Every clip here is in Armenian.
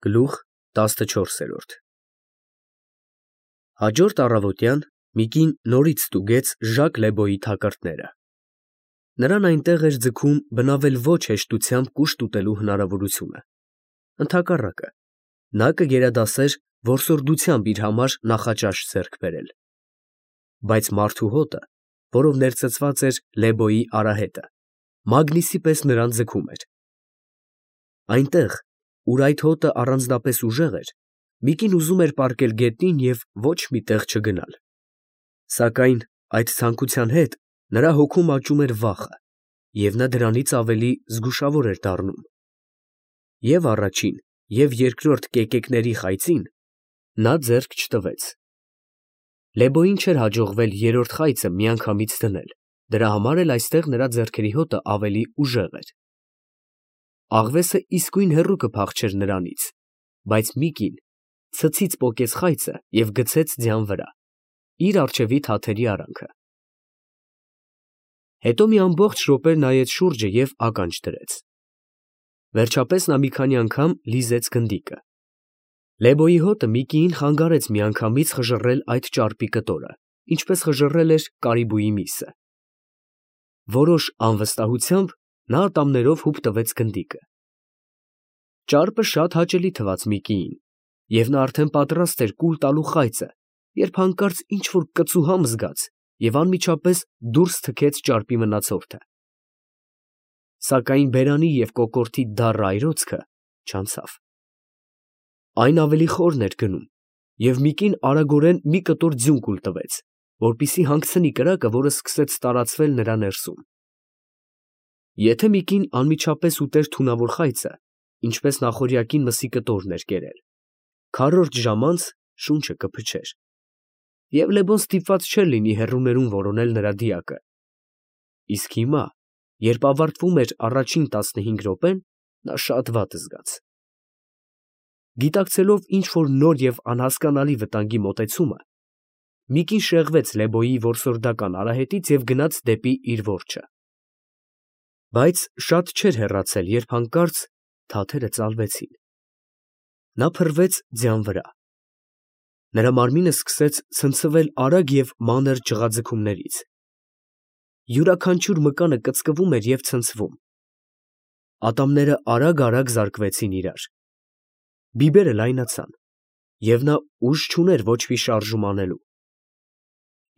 Գլուխ 14 Հաջորդ առավոտյան մի կին նորից ստուգեց Ժակ Լեբոյի թակարդները. նրան այնտեղ էր ձգում բնավել ոչ հեշտությամբ կուշտ ուտելու հնարավորությունը, ընդհակառակը, նա կգերադասեր որսորդությամբ իր համար նախաճաշ ձեռք բերել, բայց մարդու հոտը, որով ներծծված էր Լեբոյի արահետը, մագնիսի պես նրան ձգում էր. այնտեղ, ուր այդ հոտը առանձնապես ուժեղ էր, մի կին ուզում էր պառկել գետնին և ոչ մի տեղ չգնալ, սակայն այդ ցանկության հետ նրա հոգում աճում էր վախը, և նա դրանից ավելի զգուշավոր էր դառնում, և առաջին, և երկրորդ կեկեկների խայծին նա ձեռք չտվեց. Լեբոյին չէր հաջողվել երրորդ խայծը միանգամից դնել, դրա համար էլ այստեղ նրա ձեռքերի հոտը ավելի ուժեղ էր. աղվեսը իսկույն հեռու կփախչեր նրանից, բայց մի կին ցցից պոկեց խայծը և գցեց ձյան վրա, իր առջևի թաթերի արանքը. հետո մի ամբողջ րոպե նայեց շուրջը և ականջ դրեց. վերջապես նա մի քանի անգամ լիզեց գնդիկը. Լեբոյի հոտը մի կին խանգարեց միանգամից խժռել այդ ճարպի կտորը, ինչպես խժռել էր կարիբուի միսը. որոշ անվստահությամբ նա ատամներով հուպ տվեց գնդիկը. ճարպը շատ հաճելի թվաց մի կիին, և նա արդեն պատրաստ էր կուլ տալու խայծը, երբ հանկարծ ինչ֊որ կծուհամ զգաց և անմիջապես դուրս թքեց ճարպի մնացորդը, սակայն բերանի և կոկորդի դառը այրոցքը չանցավ. այն ավելի խորն էր գնում, և մի կին արագորեն մի կտոր ձյուն կուլ տվեց, որպեսզի հանգցնի կրակը, որը սկսեց տարածվել նրա ներսում. եթե մի կին անմիջապես ուտեր թունավոր խայծը, ինչպես նախօրյակին մսի կտորն էր կերել, քառորդ ժամ անց շունչը կփչեր, և Լեբոն ստիպված չէր լինի հեռուներում որոնել նրա դիակը, իսկ հիմա, երբ ավարտվում էր առաջին 15 րոպեն, նա շատ վատ զգաց. գիտակցելով ինչ֊որ նոր և անհասկանալի վտանգի մոտեցումը, մի կին շեղվեց Լեբոյի որսորդական արահետից և գնաց դեպի իր որջը, բայց շատ չէր հեռացել, երբ հանկարծ թաթերը ծալվեցին, նա փռվեց ձյան վրա, նրա մարմինը սկսեց ցնցվել արագ և մանր ջղաձգումներից, յուրաքանչյուր մկանը կծկվում էր և ցնցվում, ատամները արագ զարկվեցին իրար, բիբերը լայնացան, և նա ուժ չուներ ոչ մի շարժում անելու,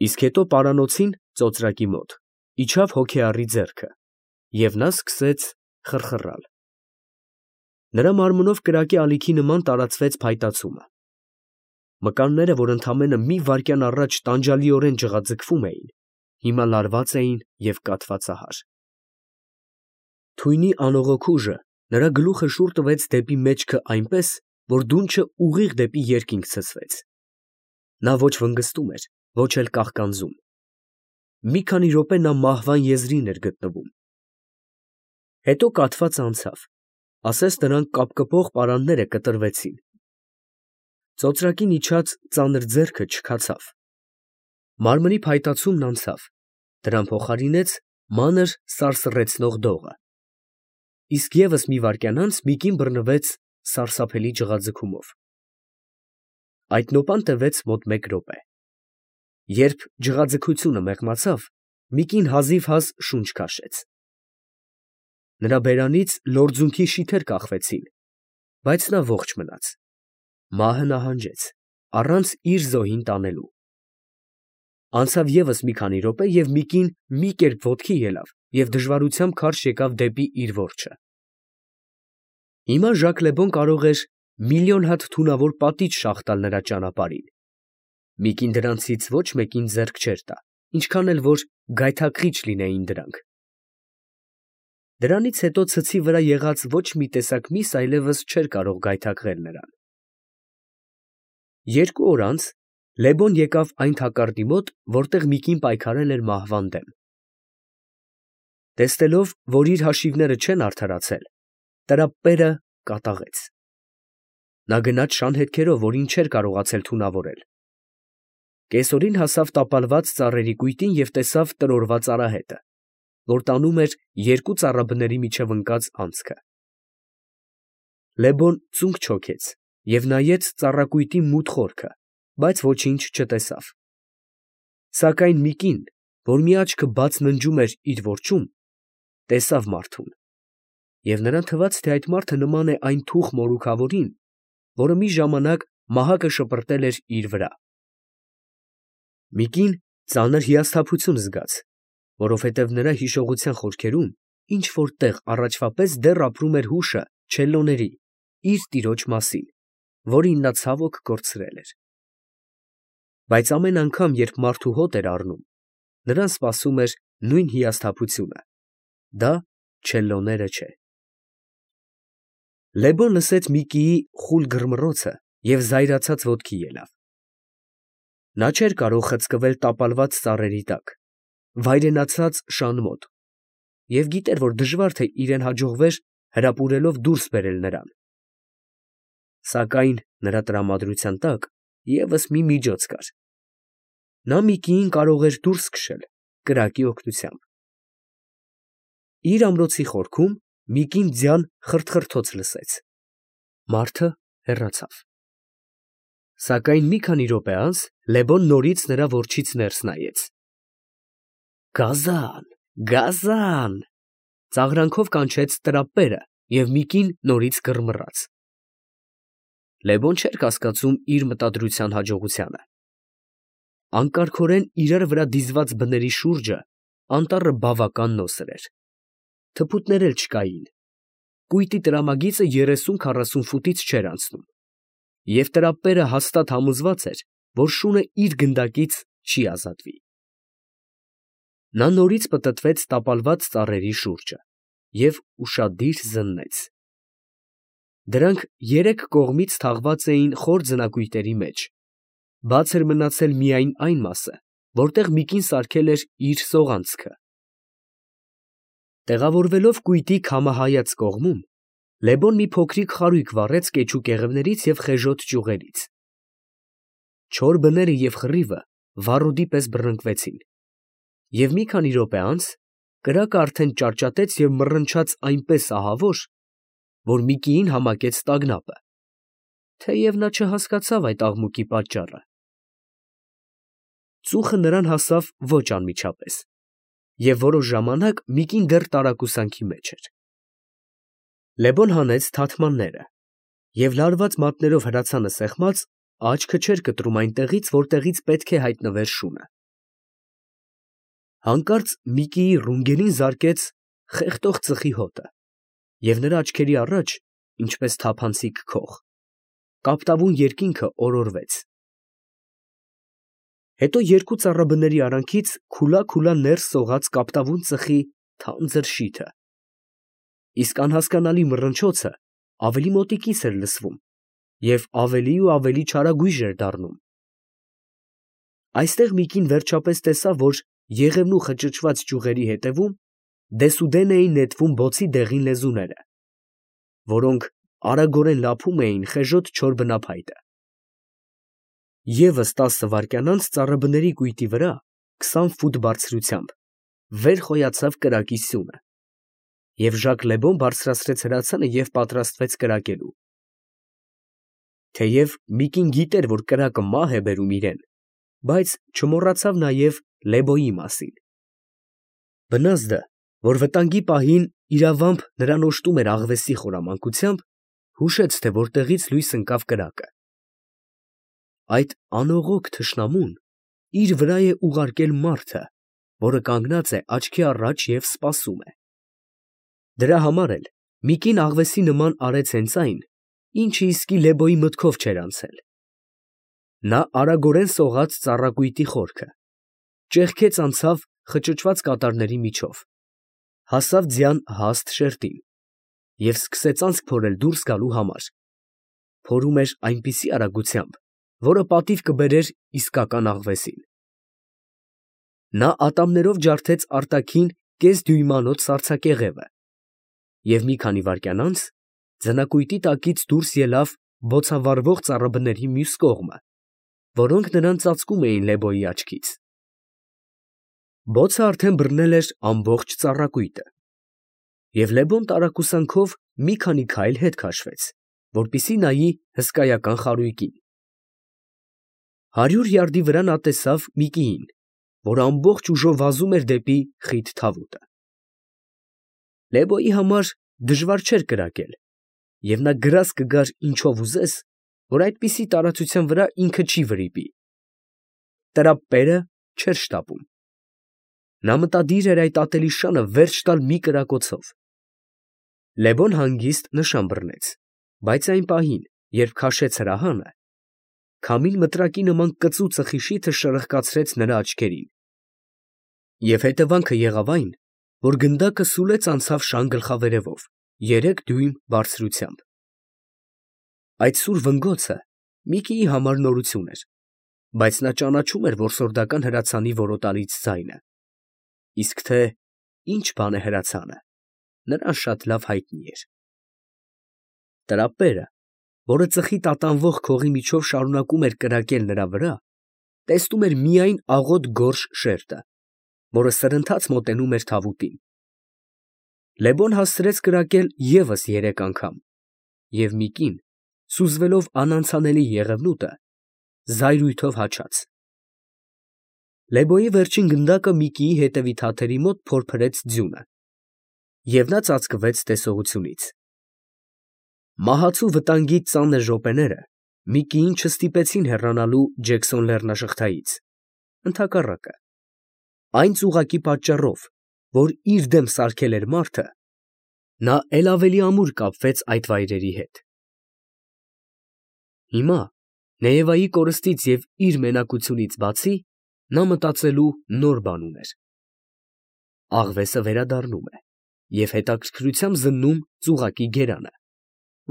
իսկ հետո պարանոցին, ծոծրակի մոտ, իջավ հոգեառի ձեռքը, և նա սկսեց խռխռալ, նրա մարմնով կրակի ալիքի նման տարածվեց փայտացումը, մկանները, որ ընդամենը մի վայրկյան առաջ տանջալիորեն ջղաձգվում էին, հիմա լարված էին և կաթվածահար, թույնի անողոք ուժը նրա գլուխը շուռ տվեց դեպի մեջքը այնպես, որ դունչը ուղիղ դեպի երկինք ցցվեց, նա ոչ վնգստում էր, ոչ էլ կաղկանձում, մի քանի րոպե նա մահվան եզրին էր գտնվում, հետո կաթվածը անցավ, ասես նրան կապկպող պարանները կտրվեցին, ծոծրակին իջած ծանր ձեռքը չքացավ, մարմնի փայտացումն անցավ, դրան փոխարինեց մանր սարսռեցնող դողը, իսկ ևս մի վայրկյան անց մի կին բռնվեց սարսափելի ջղաձգումով, այդ նոպան տևեց մոտ 1 րոպե, երբ ջղաձգությունը մեղմացավ, մի կին հազիվհազ շունչ քաշեց, նրա բերանից լորձունքի շիթեր կախվեցին, բայց նա ողջ մնաց, մահը նահանջեց, առանց իր զոհին տանելու, անցավ ևս մի քանի րոպե և մի կին մի կերպ ոտքի ելավ և դժվարությամբ քարշ եկավ դեպի իր որջը, հիմա Ժակ Լեբոն կարող էր միլիոն հատ թունավոր պատիճ շաղ տալ նրա ճանապարհին, մի կին դրանցից ոչ մեկին ձեռք չէր տա, ինչքան էլ որ գայթակղիչ լինեին դրանք, դրանից հետո ցցի վրա եղած ոչ մի տեսակ միս այլևս չէր կարող գայթակղել նրան, 2 օր անց Լեբոն եկավ այն թակարդի մոտ, որտեղ մի կին պայքարել էր մահվան դեմ, տեսնելով, որ իր հաշիվները չեն արդարացել, տրապպերը կատաղեց, նա գնաց շան հետքերով, որին չէր կարողացել թունավորել, կեսօրին հասավ տապալված ծառերի կույտին և տեսավ տրորված արահետը, որ տանում էր 2 ծառաբների միջև ընկած անցքը, Լեբոն ծունկ չոքեց և նայեց ծառակույտի մութ խորքը, բայց ոչինչ չտեսավ։ Սակայն մի կին, որ մի աչքը բաց ննջում էր իր որջում, տեսավ մարդուն, և նրան թվաց, թե այդ մարդը նման է այն թուխ մորուքավորին, որը մի ժամանակ մահակը շպրտել էր իր վրա։ Մի կին ծանր հիասթափություն զգաց, որովհետև նրա հիշողության խորքերում ինչ֊որ տեղ առաջվա պես դեռ ապրում էր հուշը չելլոների, իր տիրոջ մասին, որին նա ցավոք կորցրել էր։ Բայց ամեն անգամ, երբ մարդու հոտ էր առնում, նրան սպասում էր նույն հիասթափությունը. դա չելլոները չէ։ Լեբոն լսեց Միկիի խուլ գրմռոցը և զայրացած ոտքի ելավ։ Նա չէր կարող խցկվել տապալված ծառերի տակ, վայրենացած շան մոտ, և գիտեր, որ դժվար թե իրեն հաջողվեր հրապուրելով դուրս բերել նրան։ Սակայն նրա տրամադրության տակ ևս մի միջոց կար. նա Միկիին կարող էր դուրս քշել կրակի օգնությամբ։ Իր ամրոցի խորքում Միկին ձյան խրթխրթոց լսեց։ Մարդը հեռացավ։ Սակայն մի քանի րոպե անց Լեբոն նորից նրա որջից ներս նայեց։ «Գազա՜ն, գազա՜ն» ծաղրանքով կանչեց տրապպերը, և Միկին նորից գրմռաց։ Լեբոն չէր կասկածում իր մտադրության հաջողությանը։ Անկարգորեն իրար վրա դիզված բների շուրջը անտառը բավական նոսր էր։ Թփուտներ էլ չկային։ Կույտի տրամագիծը 30-40 ֆուտից չէր անցնում, և տրապպերը հաստատ համոզված էր, որ շունը իր գնդակից չի ազատվի։ Նա նորից պտտվեց տապալված ծառերի շուրջը և ուշադիր զննեց։ Դրանք երեք կողմից թաղված էին խոր ձնակույտերի մեջ, բաց էր մնացել միայն այն մասը, որտեղ Միկին սարքել էր իր սողանցքը։ Տեղավորվելով կույտի քամահայաց կողմում, Լեբոն մի փոքրիկ խարույկ վառեց կեչու կեղևներից և խեժոտ ճյուղերից։ Չոր բները և խռիվը վառոդի պես բռնկվեցին, և մի քանի րոպե անց կրակը արդեն ճարճատեց և մռնչաց այնպես ահավոր, որ Միկիին համակեց տագնապը, թեև նա չհասկացավ այդ աղմուկի պատճառը։ Ծուխը նրան հասավ ոչ անմիջապես, և որոշ ժամանակ Միկին դեռ տարակուսանքի մեջ էր։ Լեբոն հանեց թաթմանները և լարված մատներով հրացանը սեղմած, աչքը չէր կտրում այնտեղից, որտեղից պետք է հայտնվեր շունը։ Հանկարծ Միկիի ռունգելին զարկեց խեղդող ծխի հոտը, և նրա աչքերի առաջ, ինչպես թափանցիկ քող, կապտավուն երկինքը օրորվեց։ Հետո երկու ծառաբների արանքից քուլա ներս սողաց կապտավուն ծխի թանձր շիթը, իսկ անհասկանալի մռնչոցը ավելի մոտիկից էր լսվում և ավելի ու ավելի չարագույժ էր դառնում։ Այստեղ Միկին վերջապես տեսավ, որ եղևնու խճճված ճյուղերի ետևում դեսուդեն էին նետվում բոցի դեղին լեզուները, որոնք արագորեն լափում էին խեժոտ չոր բնափայտը։ ԵՒս 10 վայրկյան անց ծառաբների կույտի վրա 20 ֆուտ բարձրությամբ վեր խոյացավ կրակի սյունը, և Ժակ Լեբոն բարձրացրեց հրացանը և պատրաստվեց կրակելու։ Թեև Միկին գիտեր, որ կրակը մահ է բերում իրան, բայց չմոռացավ նաև Լեբոյի մասին։ Բնազդը, որ վտանգի պահին իրավամբ նրան օժտում էր աղվեսի խորամանկությամբ, հուշեց, թե որտեղից լույս ընկավ կրակը։ Այդ անողոք թշնամուն իր վրա է ուղարկել մարդը, որը կանգնած է աչքի առաջ և սպասում է։ Դրա համար էլ Միկին աղվեսի նման արեց հենց այն, ինչը իսկի Լեբոյի մտքով չէր անցել։ Նա արագորեն սողաց ծառակույտի խորքը, ճեղքեց անցավ խճճված կատարների միջով, հասավ ձյան հաստ շերտին և սկսեց անցք փորել դուրս գալու համար։ Փորում էր այնպիսի արագությամբ, որը պատիվ կբերեր իսկական աղվեսին։ Նա ատամներով ջարդեց արտաքին կես դյույմանոց սառցակեղևը և մի քանի վայրկյան անց ձնակույտի տակից դուրս ելավ բոցավառվող ծառաբների մյուս կողմը, որոնք նրան ծածկում էին Լեբոյի աչքից։ Բոցը արդեն բռնել էր ամբողջ ծառակույտը, և Լեբոն տարակուսանքով մի քանի քայլ հետ քաշվեց, որպեսզի նայի հսկայական խարույկին։ 100 յարդի վրա նա տեսավ մի կին, որ ամբողջ ուժով վազում էր դեպի խիտ Թավուտը։ Լեբոյի համար դժվար չէր կրակել, և նա գրազ կգար ինչով ուզես, որ այդպիսի տարածության վրա ինքը չի վրիպի։ Տրապպերը չէր շտապում։ Նա մտադիր էր այդ ատելի շանը վերջ տալ մի կրակոցով։ Լեբոն հանգիստ նշան բռնեց, բայց այն պահին, երբ քաշեց հրահանը, քամին մտրակի նման կծու ծխի շիթը շրխկացրեց նրա աչքերին, և հետևանքը եղավ այն, որ գնդակը սուլեց անցավ շան գլխավերևով 3 դյույմ բարձրությամբ։ Այդ սուր վնգոցը Միկիի համար նորություն էր, բայց նա ճանաչում էր որսորդական հրացանի որոտալից ձայնը, իսկ թե ինչ բան է հրացանը, նրան շատ լավ հայտնի էր։ Տրապպերը, որը ծխի տատանվող քողի միջով շարունակում էր կրակել նրա վրա, տեսնում էր միայն աղոտ գորշ շերտը, որը սրընթաց մոտենում էր Թավուտին։ Լեբոն հասցրեց կրակել ևս 3 անգամ, և Միկին, սուզվելով անանցանելի եղևնուտը, զայրույթով հաչաց։ Լեբոյի վերջին գնդակը Միկիի հետևի թաթերի մոտ փորփրեց ձյունը, և նա ծածկվեց տեսողությունից։ Մահացու վտանգի ծանր րոպեները Միկիին չստիպեցին հեռանալու Ջեքսոն լեռնաշղթայից, ընդհակառակը, այն ծուղակի պատճառով, որ իր դեմ սարքել էր մարդը, նա էլ ավելի ամուր կապվեց այդ վայրերի հետ։ Հիմա, Նեևայի կորստից և իր մենակությունից բացի, նա մտածելու նոր բան ուներ։ Աղվեսը վերադառնում է և հետաքրքրությամբ զննում ծուղակի գերանը,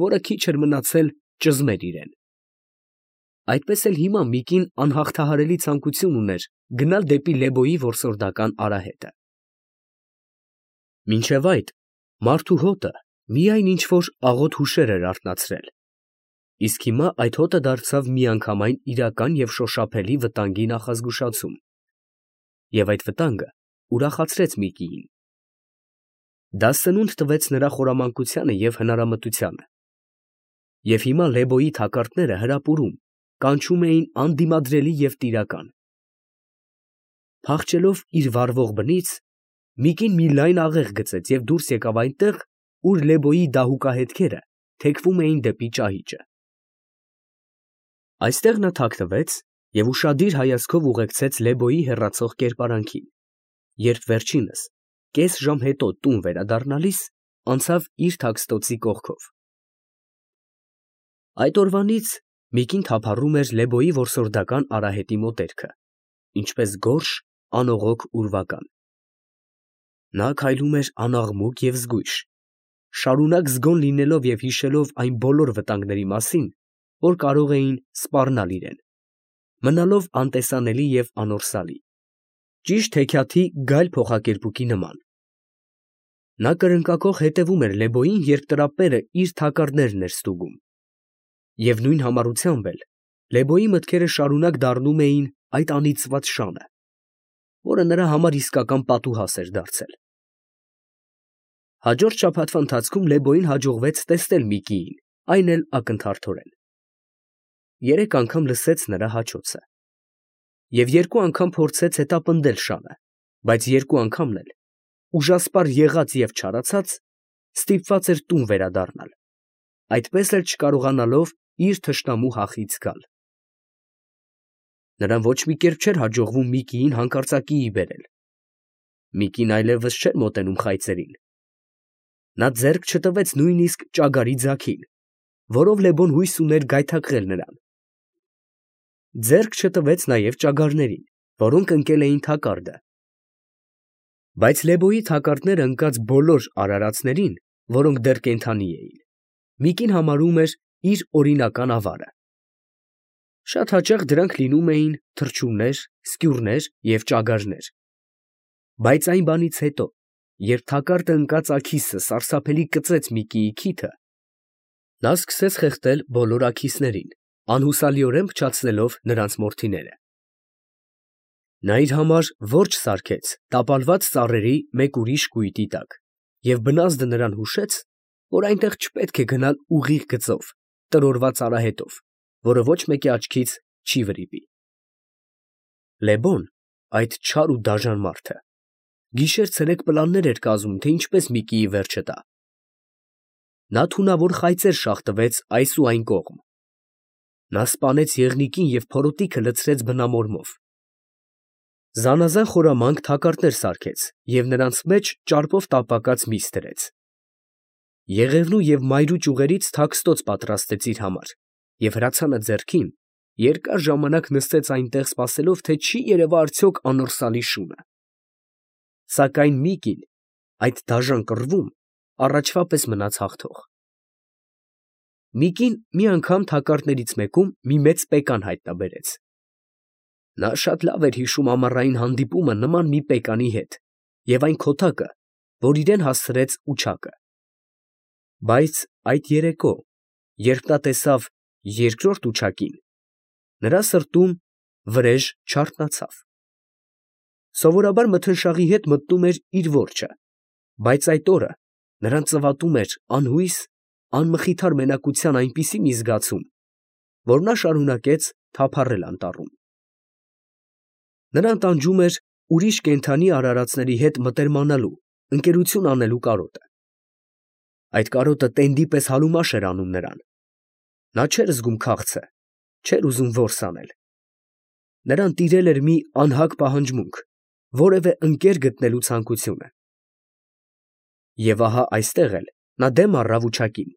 որը քիչ էր մնացել ճզմեր իրեն։ Այդպես էլ հիմա Միկին անհաղթահարելի ցանկություն ուներ գնալ դեպի Լեբոյի որսորդական արահետը։ Մինչև այդ մարդու հոտը միայն ինչ֊որ աղոտ հուշեր էր արթնացրել, իսկ հիմա այդ հոտը դարձավ միանգամայն իրական և շոշափելի վտանգի նախազգուշացում, և այդ վտանգը ուրախացրեց Միկիին։ Դա սնունդ տվեց նրա խորամանկությանը և հնարամտությանը, և հիմա Լեբոյի թակարդները հրապուրում, կանչում էին անդիմադրելի և տիրական։ Փախչելով իր վառվող բնից, Միկին մի լայն աղեղ գծեց և դուրս եկավ այնտեղ, ուր Լեբոյի դահուկահետքերը թեքվում էին դեպի ճահիճը։ Այստեղ նա թաքնվեց և ուշադիր հայացքով ուղեկցեց Լեբոյի հեռացող կերպարանքին, երբ վերջինս, կես ժամ հետո տուն վերադառնալիս, անցավ իր թաքստոցի կողքով։ Այդ օրվանից Միկին թափառում էր Լեբոյի որսորդական արահետի մոտերքը, ինչպես գորշ, անողոք ուրվական։ Նա քայլում էր անաղմուկ և զգույշ, շարունակ զգոն լինելով և հիշելով այն բոլոր վտանգների մասին, որ կարող էին սպառնալ իրեն, մնալով անտեսանելի և անորսալի, ճիշտ հեքիաթի գայլ փոխակերպուկի նման։ Նա կրնկակոխ հետևում էր Լեբոյին, երբ տրապպերը իր թակարդներն էր ստուգում, և նույն համառությամբ էլ Լեբոյի մտքերը շարունակ դառնում էին այդ անիծված շանը, որը նրա համար իսկական պատուհաս էր դարձել։ Հաջորդ շաբաթվա ընթացքում Լեբոյին հաջողվեց տեսնել Միկիին, այն էլ ակնթարթորեն։ 3 անգամ լսեց նրա հաչոցը և 2 անգամ փորձեց հետապնդել շանը, բայց 2 անգամն էլ, ուժասպառ եղած և չարացած, ստիպված էր տուն վերադառնալ, այդպես էլ չկարողանալով իր թշնամու հախից գալ։ Նրան ոչ մի կերպ չէր հաջողվում Միկիին հանկարծակիի բերել։ Միկին այլևս չէր մոտենում խայծերին։ Նա ձեռք չտվեց նույնիսկ ճագարի ձագին, որով Լեբոն հույս ուներ գայթակղել նրան։ Ձեռք չտվեց նաև ճագարներին, որոնք ընկել էին թակարդը։ Բայց Լեբոյի թակարդները ընկած բոլոր արարածներին, որոնք դեռ կենդանի էին, Միկին համարում էր իր օրինական ավարը։ Շատ հաճախ դրանք լինում էին թռչուններ, սկյուռներ և ճագարներ։ Բայց այն բանից հետո, երբ թակարդը ընկած աքիսը սարսափելի կծեց Միկիի քիթը, նա սկսեց խեղդել բոլոր աքիսներին, անհուսալիորեն փչացնելով նրանց մորթիները։ Նա իր համար որջ սարքեց տապալված ծառերի մեկ ուրիշ կույտի տակ, և բնազդը նրան հուշեց, որ այնտեղ չպետք է գնալ ուղիղ գծով, տրորված արահետով, որը ոչ մեկի աչքից չի վրիպի։ Լեբոն, այդ չար ու դաժան մարդը, գիշեր-ցերեկ պլաններ էր կազմում, թե ինչպես Միկիի վերջը տա։ Նա թունավոր խայծեր շաղտվեց այս ու այն կողմ։ Նա սպանեց եղնիկին և փորոտիքը լցրեց բնամորմով։ Զանազան խորամանկ թակարդներ սարքեց և նրանց մեջ ճարպով տապակած միս դրեց։ Եղևնու և մայրու ճյուղերից թաքստոց պատրաստեց իր համար և հրացանը ձեռքին երկար ժամանակ նստեց այնտեղ, սպասելով, թե չի երևա արդյոք անորսալի շունը։ Սակայն Միկին այդ դաժան կռվում առաջվա պես մնաց հաղթող։ Միկին մի անգամ թակարդներից մեկում մի մեծ պեկան հայտնաբերեց։ Նա շատ լավ էր հիշում ամառային հանդիպումը նման մի պեկանի հետ և այն քոթակը, որ իրան հասցրեց Ուչակը։ Բայց այդ երեկո, երբ նա տեսավ երկրորդ Ուչակին, նրա սրտում վրեժ չարթնացավ։ Սովորաբար մթնշաղի հետ մտնում էր իր որջը, բայց այդ օրը նրան ծվատում էր անհույս, անմխիթար մենակության այնպիսի մի զգացում, որ նա շարունակեց թափառել անտառում։ Նրան տանջում էր ուրիշ կենդանի արարածների հետ մտերմանալու, ընկերություն անելու կարոտը։ Այդ կարոտը տենդի պես հարումաշ էր անում նրան։ Նա չէր զգում քաղցը, չէր ուզում որս անել։ Նրան տիրել էր մի անհագ պահանջմունք, որևէ ընկեր գտնելու ցանկությունը։ Եվ ահա այստեղ էլ նա դեմ առավ Ուչակին։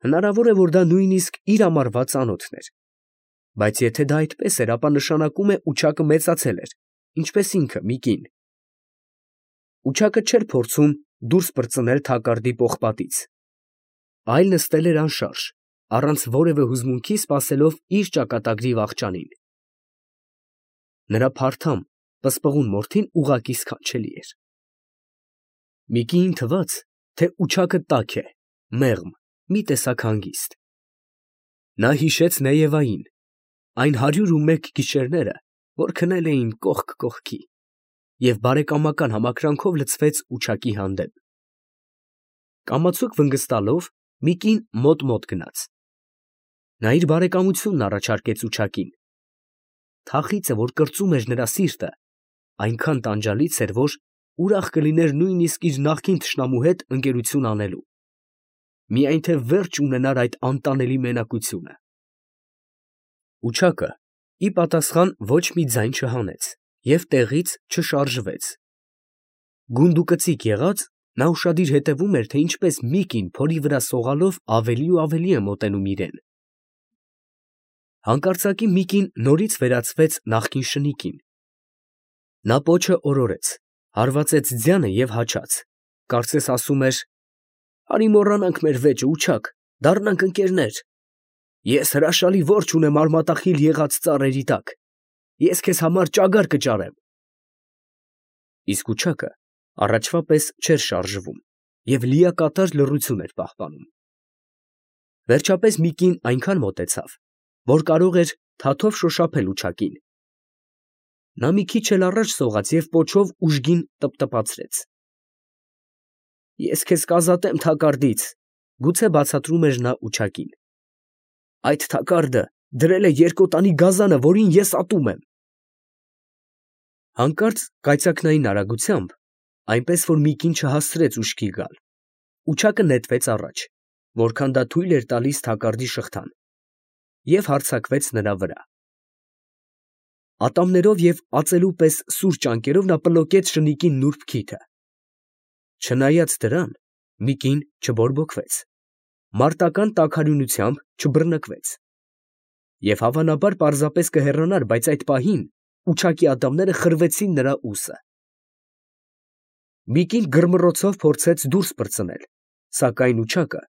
Հնարավոր է, որ դա նույնիսկ իր ամառվա ծանոթն էր, բայց եթե դա այդպես էր, ապա նշանակում է Ուչակը մեծացել էր, ինչպես ինքը Միկին։ Ուչակը չէր փորձում դուրս պրծնել թակարդի պողպատից, այլ նստել էր անշարժ, առանց որևէ հուզմունքի սպասելով իր ճակատագրի վախճանին։ Նրա փարթամ, պսպղուն մորթին ուղղակի սքանչելի էր։ Միկիին թվաց, թե Ուչակը տաք է, մեղմ, մի տեսակ հանգիստ։ Նա հիշեց Նեևային, այն 101 գիշերները, որ քնել էին կողք կողքի, և բարեկամական համակրանքով լցվեց Ուչակի հանդեպ։ Կամացուկ վնգստալով Միկին մոտ գնաց։ Նա իր բարեկամությունն առաջարկեց Ուչակին։ Թախիծը, որ կրծում էր նրա սիրտը, այնքան տանջալից էր, որ ուրախ կլիներ նույնիսկ իր նախկին թշնամու հետ ընկերություն անելու, միայն թե վերջ ունենար այդ անտանելի մենակությունը։ Ուչակը ի պատասխան ոչ մի ձայն չհանեց և տեղից չշարժվեց։ Գունդուկծիկ եղած, նա ուշադիր հետևում էր, թե ինչպես Միկին փորի վրա սողալով ավելի ու ավելի է մոտենում իրան։ Հանկարծակի Միկին նորից վերածվեց նախկին շնիկին։ Նա պոչը օրորեց, հարվածեց ձյանը և հաչաց, կարծես ասում էր. «Արի մոռանանք մեր վեճը, Ուչակ, դառնանք ընկերներ։ Ես հրաշալի որջ ունեմ արմատախիլ եղած ծառերի տակ, ես քեզ համար ճագար կճարեմ»։ Իսկ Ուչակը առաջվա պես չէր շարժվում և լիակատար լռություն էր պահպանում։ Վերջապես Միկին այնքան մոտեցավ, որ կարող էր թաթով շոշափել Ուչակին։ Նա մի քիչ էլ առաջ սողաց և պոչով ուժգին տպտպացրեց։ «Ես քեզ կազատեմ թակարդից», գուցե բացատրում էր նա Ուչակին։ «Այդ թակարդը դրել է երկոտանի գազանը, որին ես ատում եմ»։ Հանկարծ կայծակնային արագությամբ, այնպես որ Միկին չհասցրեց ուշքի գալ, Ուչակը նետվեց առաջ, որքան դա թույլ էր տալիս թակարդի շղթան, և հարձակվեց նրա վրա։ Ատամներով և ածելու պես սուր ճանկերով նա պլոկեց շնիկի նուրբ քիթը։ Չնայած դրան, Միկին չբորբոքվեց, մարտական տաքարյունությամբ չբռնկվեց և հավանաբար պարզապես կհեռանար, բայց այդ պահին Ուչակի ատամները խրվեցին նրա ուսը։ Միկին գրմռոցով փորձեց դուրս պրծնել, սակայն Ուչակը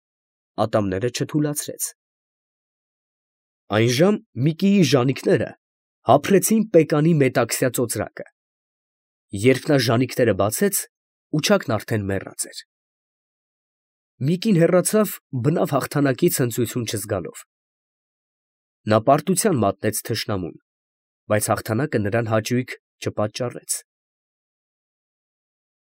ատամները չթուլացրեց։ Այնժամ Միկիի ժանիքները հափռեցին պեկանի մետաքսյա ծոծրակը։ Երբ նա ժանիքները բացեց, Ուչակն արդեն մեռած էր։ Միկին հեռացավ բնավ հաղթանակից հնծություն չզգալով։ Նա պարտության մատնեց թշնամուն, բայց հաղթանակը նրան հաճույք չպատճառեց։